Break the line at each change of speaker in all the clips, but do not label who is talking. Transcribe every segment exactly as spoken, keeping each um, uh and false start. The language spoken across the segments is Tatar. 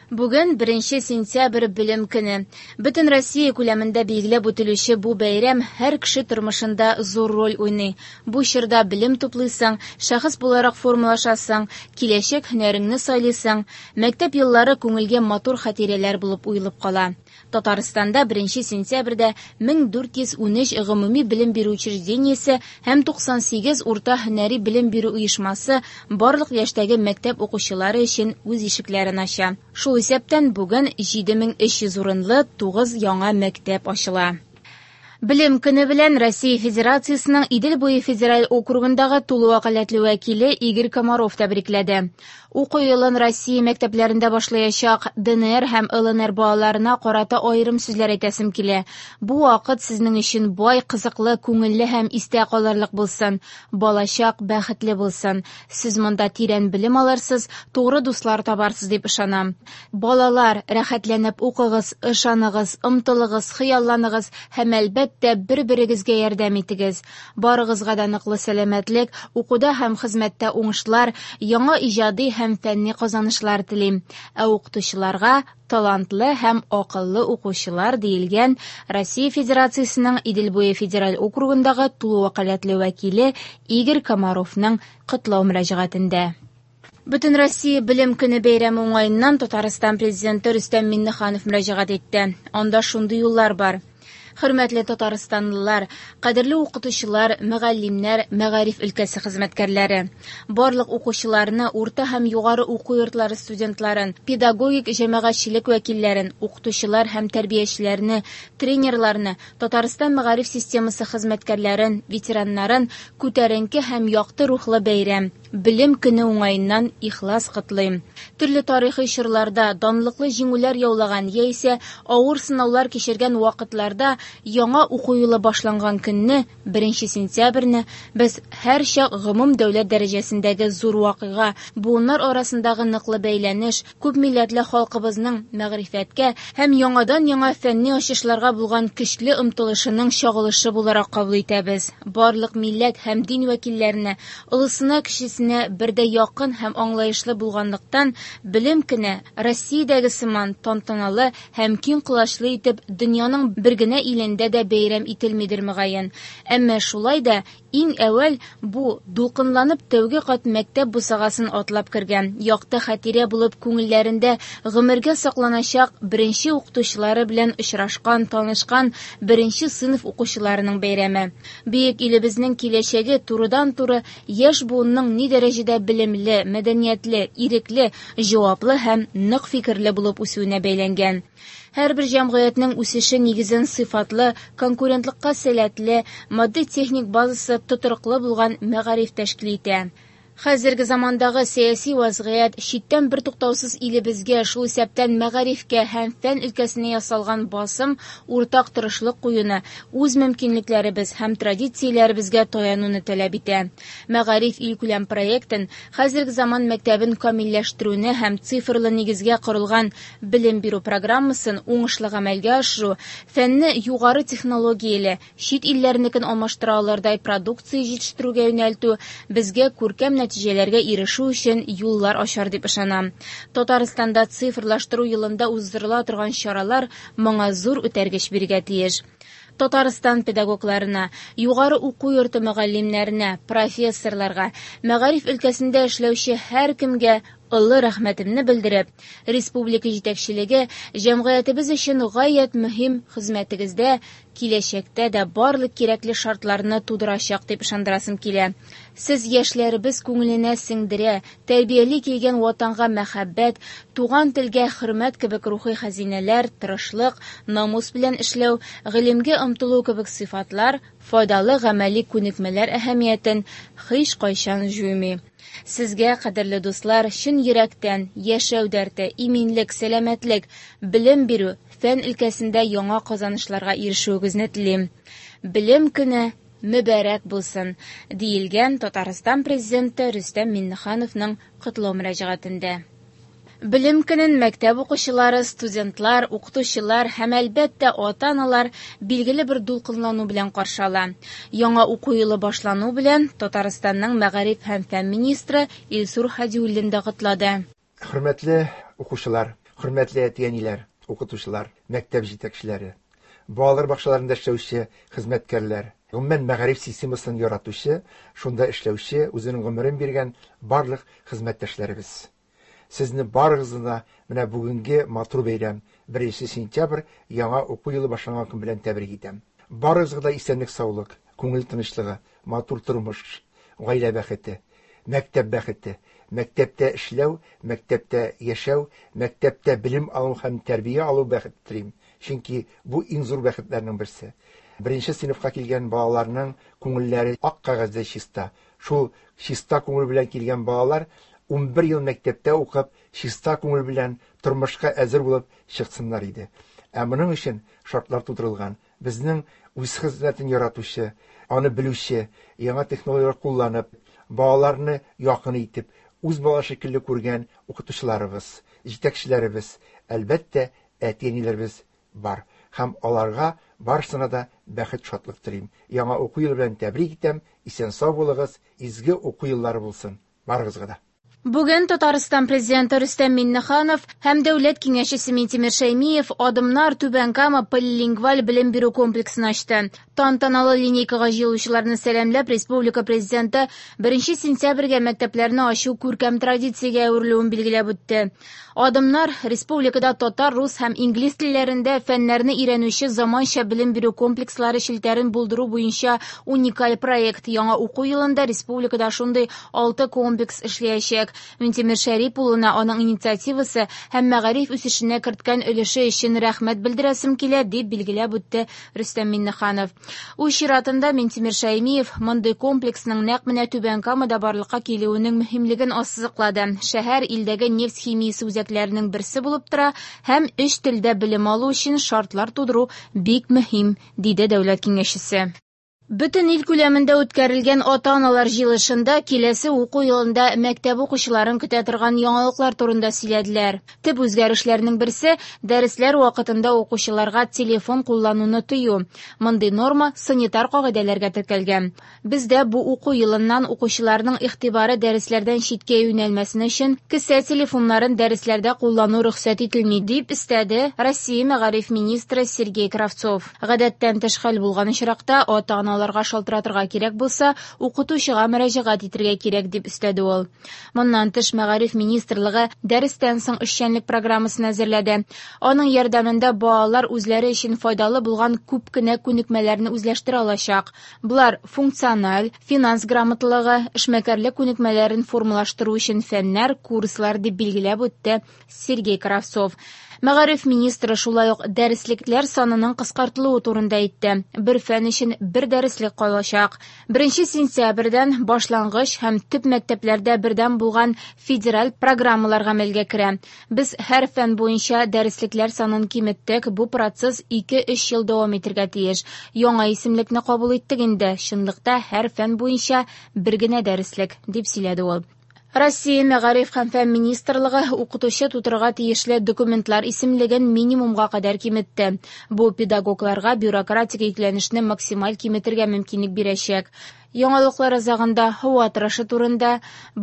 Бүген беренче сентябрь Белем көне. Бөтен Россия күләмендә билгеләп үтелүче бу бәйрәм һәр кеше тормышында зур роль уйный. Бу чорда белем туплыйсың, шәхес буларак формалашасың, киләчәк һөнәреңне сайлыйсың. Мәктәп еллары күңелгә матур хатирәләр булып уелып кала. Татарстанда беренче сентябрьдә мең дүрт йөз унөч гомуми белем бирү учреждениесе һәм туксан сигез урта һөнәри белем бирү оешмасы барлык яшьтәге мәктәп укучылары өчен үз ишекләрен ача. Шул исәптән бүген җиде мең өч йөз урынлы тугыз яңа мәктәп ачыла. Белем көне белән Россия Федерациясенең Идел буе федераль округындагы тулы вәкаләтле вәкиле Игорь Комаров тәбрикләде. Уку елын Россия мәктәпләрендә башлаячак Д Н Р һәм Л Н Р балаларына карата аерым сүзләр әйтәсем килә. Бу вакыт сезнең өчен бай, кызыклы, күңелле һәм истә калырлык булсын. Балачак бәхетле булсын. Сез монда тирән белем алырсыз, тугры дуслар табарсыз дип ышанам. Балалар, рәхәтләнеп укыгыз, ышаныгыз, омтылыгыз, хыялланыгыз һәм әлбәттә бер-берегезгә ярдәм итегез. Барыгызга да ныклы сәламәтлек, укуда һәм хезмәттә уңышлар, яңа иҗади һәм фәнни казанышлар телим. Ә укытучыларга талантлы һәм акыллы укучылар диелгән Россия Федерациясенең Идел буе федераль округындагы тулы вәкаләтле вәкиле Игорь Комаровның котлау мөрәҗәгатендә. Бөтен Россия Белем көне бәйрәме уңаеннан Татарстан президенты Рөстәм Миңнеханов мөрәҗәгать итте. Анда шундый юллар бар. Хөрмәтле татарстанлылар, кадерле укытучылар, мөгаллимнәр, мәгариф өлкәсе хезмәткәрләре, барлык укучыларны, урта һәм югары уку йортлары студентларын, педагогик җәмәгатьчелек вәкилләрен, укытучылар һәм тәрбиячеләрне, тренерларны, Татарстан мәгариф системасы хезмәткәрләрен, ветераннарын күтәренке һәм якты рухлы бәйрәм, Белем көне уңаеннан ихлас котлыйм. Төрле тарихи чорларда данлыклы җиңүләр яулаган яисә авыр сынаулар кичергән вакытларда яңа уку елы башланган көнне, беренче сентябрьне, без һәрчак гомум дәүләт дәрәҗәсендәге зур вакыйга, буыннар арасындагы ныклы бәйләнеш, күп милләтле халкыбызның мәгърифәткә һәм яңадан-яңа фәнни ачышларга булган көчле омтылышының чагылышы буларак кабул итәбез. Барлык милләт һәм дин вәкилләренә, олысына кечесенә бердәй якын һәм аңлаешлы булганлыктан, белем көне Россиядәге сыман тантаналы һәм киң колачлы итеп дөньяның бер генә илендә дә бәйрәм ителмидер мөгаен. Әмма шулай да иң әүвәл бу дулкынланып тәүге кат мәктәп бусагасын атлап кергән, якты хатирә булып күңелләрендә гомергә сакланачак беренче укытучылары белән очрашкан, танышкан беренче сыйныф укучыларының бәйрәме. Бөек илебезнең киләчәге турыдан-туры яшь буынның ни дәрәҗәдә белемле, мәдәниятле, ирекле, җаваплы һәм нык фикерле булып үсүенә бәйләнгән. Һәрбер җәмгыятьнең үсеше нигезен сыйфатлы, конкурентлыкка сәләтле, матди-техник базасы тотрыклы булган мәгариф тәшкил итә. Хәзерге замандагы сәяси вазгыять, читтән бер туктаусыз илебезгә, шул исәптән мәгарифкә һәм фән өлкәсенә ясалган басым, уртак тырышлык куюны, үз мөмкинлекләребез һәм традицияләребезгә таянуны таләп итә. Мәгариф илкүләм проектын, хәзерге заман мәктәбен камилләштерүне һәм цифрлы нигезгә корылган белем бирү программасын уңышлы гамәлгә ашыру, фәнне югары технологияле, чит илләрнекен алмаштыра алырдай продукция җитештерүгә юнәлтү безгә күркәм нәтиҗәләргә ирешү өчен юллар ачар дип ышанам. Татарстанда цифрлаштыру елында уздырыла торган чаралар моңа зур үтәргеч бирергә тиеш. Татарстан педагогларына, югары уку йорты мөгаллимнәренә, профессорларга, мәгариф өлкәсендә эшләүче һәркемгә олы рәхмәтемне белдереп, республика җитәкчелеге җәмгыятебез өчен гаять мөһим хезмәтегездә киләчәктә дә барлык кирәкле шартларны тудырачак дип ышандырасым килә. Сез яшьләребез күңеленә сеңдерә, тәрбияли килгән ватанга мәхәббәт, туган телгә хөрмәт кебек рухи хәзинәләр, тырышлык, намус белән эшләү, гыйлемгә омтылу кебек сыйфатлар, файдалы гамәли күнекмәләр әһәмиятен һич кайчан җуймый. Сезгә, кадерле дуслар, чын йөрәктән яшәү дәрте, иминлек, сәламәтлек, белем бирү, фән өлкәсендә яңа казанышларга ирешүегезне телим. Белем көне мөбарәк булсын, диелгән Татарстан президенты Рөстәм Миңнехановның котлау мөрәҗәгатендә. Белем көнен мәктәп укучылары, студентлар, укытучылар һәм әлбәттә ата-аналар билгеле бер дулкынлану белән каршы ала. Яңа уку елы башлану белән Татарстанның мәгариф һәм фән министры Илсур Һадиуллин да котлады.
Хөрмәтле укучылар, Хөрмәтле әти-әниләр, укытучылар, мәктәп җитәкчеләре, балалар бакчаларында эшләүче хезмәткәрләр, гомумән мәгариф системасын яратучы, шунда эшләүче, үзенең гомерен биргән барлык хезмәттәшләребез. Сезне барыгызны да менә бүгенге матур бәйрәм, беренче сентябрь яңа уку елы башланган көн белән тәбрик итәм. Барыгызга да исәнлек-саулык, күңел тынычлыгы, матур тормыш, гаилә бәхете, мәктәп бәхете, мәктәптә эшләү, мәктәптә яшәү, мәктәптә белем алу һәм тәрбия алу бәхете телим. Чөнки бу иң зур бәхетләрнең берсе. Беренче сыйныфка килгән балаларның күңелләре ак кәгазьдәй чиста. Шул чиста күңел белән килгән балалар ун бер ел мәктәптә укып, чиста күңел белән тормышка әзер булып чыксыннар иде. Ә моның өчен шартлар тудырылган. Безнең үз хезмәтен яратучы, аны белүче, яңа технологияләр кулланып, балаларны якын итеп, үз бала шикелле күргән укытучыларыбыз, җитәкчеләребез, әлбәттә, әти-әниләребез бар. Һәм аларга барысына да бәхет, шатлык телим. Яңа уку елы белән тәбрик итәм. Исән-сау булыгыз, изге уку еллары булсын барыгызга да.
Бүген Татарстан президенты Рөстәм Миңнеханов һәм Дәүләт киңәшчесе Минтимер Шәймиев Адымнар Түбән Кама полилингваль белем бирү комплексын ачты. Тантаналы линейкага җыелучыларны сәламләп, республика президенты беренче сентябрьгә мәктәпләрне ачу күркәм традициягә әверелүен билгеләп үтте. Адымнар республикада татар, рус һәм инглиз телләрендә фәннәрне өйрәнүче заманча белем бирү комплекслары челтәрен булдыру буенча уникаль проект. Яңа уку елында республикада шундый алты комплекс эшләячәк. Минтимер Шәрип улына аның инициативасы һәм мәгариф үсешенә керткән өлеше өчен рәхмәт белдерәсем килә, дип билгеләп үтте Рөстәм Миңнеханов. Үз чиратында Минтимер Шәймиев мондый комплексның нәкъ менә Түбән Камада барлыкка килүенең мөһимлеген ассызыклады. Шәһәр илдәге нефть химиясе үзәкләренең берсе булып тора һәм өч телдә белем алу өчен шартлар тудыру бик мөһим, диде дәүләт киңәшчесе. Бөтен ил күләмендә үткәрелгән ата-аналар җыелышында киләсе уку елында мәктәп укучыларын көтә торган яңалыклар турында сөйләделәр. Төп үзгәрешләрнең берсе дәресләр вакытында укучыларга телефон куллануны тыю. Мондый норма санитар кагыйдәләргә теркәлгән. Бездә бу уку елыннан укучыларның игътибары дәресләрдән читкә юнәлмәсен өчен кесә телефоннарын дәресләрдә куллану рөхсәт ителми, дип өстәде Россия мәгариф министры Сергей Кравцов. Гадәттән тыш хәл булган очракта ата-аналар аларга шалтыратырга кирәк булса, укытучыга мөрәҗәгать итәргә кирәк, дип өстәде ул. Моннан тыш мәгариф министрлыгы дәрестән соң эшчәнлек программасын әзерләде. Аның ярдәмендә балалар үзләре өчен файдалы булган күп кенә күнекмәләрне үзләштерә алачак. Болар функциональ, финанс грамоталыгы, эшмәкәрлек күнекмәләрен формалаштыру өчен фәннәр, курслар, дип билгеләп үтте Сергей Кравцов. Мәгариф министры шулай ук дәреслекләр санының кыскартылуы турында әйтте. Бер фән өчен бер дәреслек калачак. Беренче сентябрьдән башлангыч һәм төп мәктәпләрдә бердәм булган федераль программалар гамәлгә керә. Без һәр фән буенча дәреслекләр санын киметтек. Бу процесс ике-өч ел дәвам итәргә тиеш. Яңа исемлекне кабул иттек инде. Чынлыкта һәр фән буенча бер генә дәреслек, дип сөйләде ул. Россия мәгариф һәм фән министрлыгы укытучы тутырырга тиешле документлар исемлеген минимумга кадәр киметте. Бу педагогларга бюрократик йөкләнешне максималь киметергә мөмкинлек бирәчәк. Яңалыклар азагында һава торышы турында.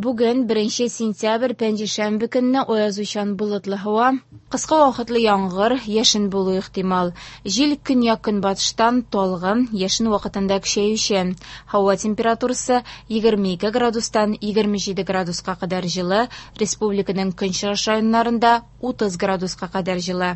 Бүген беренче сентябрь пәнҗешәмбе көнне аязучан болытлы һава, кыска вакытлы яңгыр, яшен булу ихтимал. Җил көньяк-көнбатыштан талгын, яшен вакытында көчәюче. Һава температурасы егерме ике градустан егерме җиде градуска кадәр җылы, республиканың көнчыгыш районнарында утыз градуска кадәр җылы.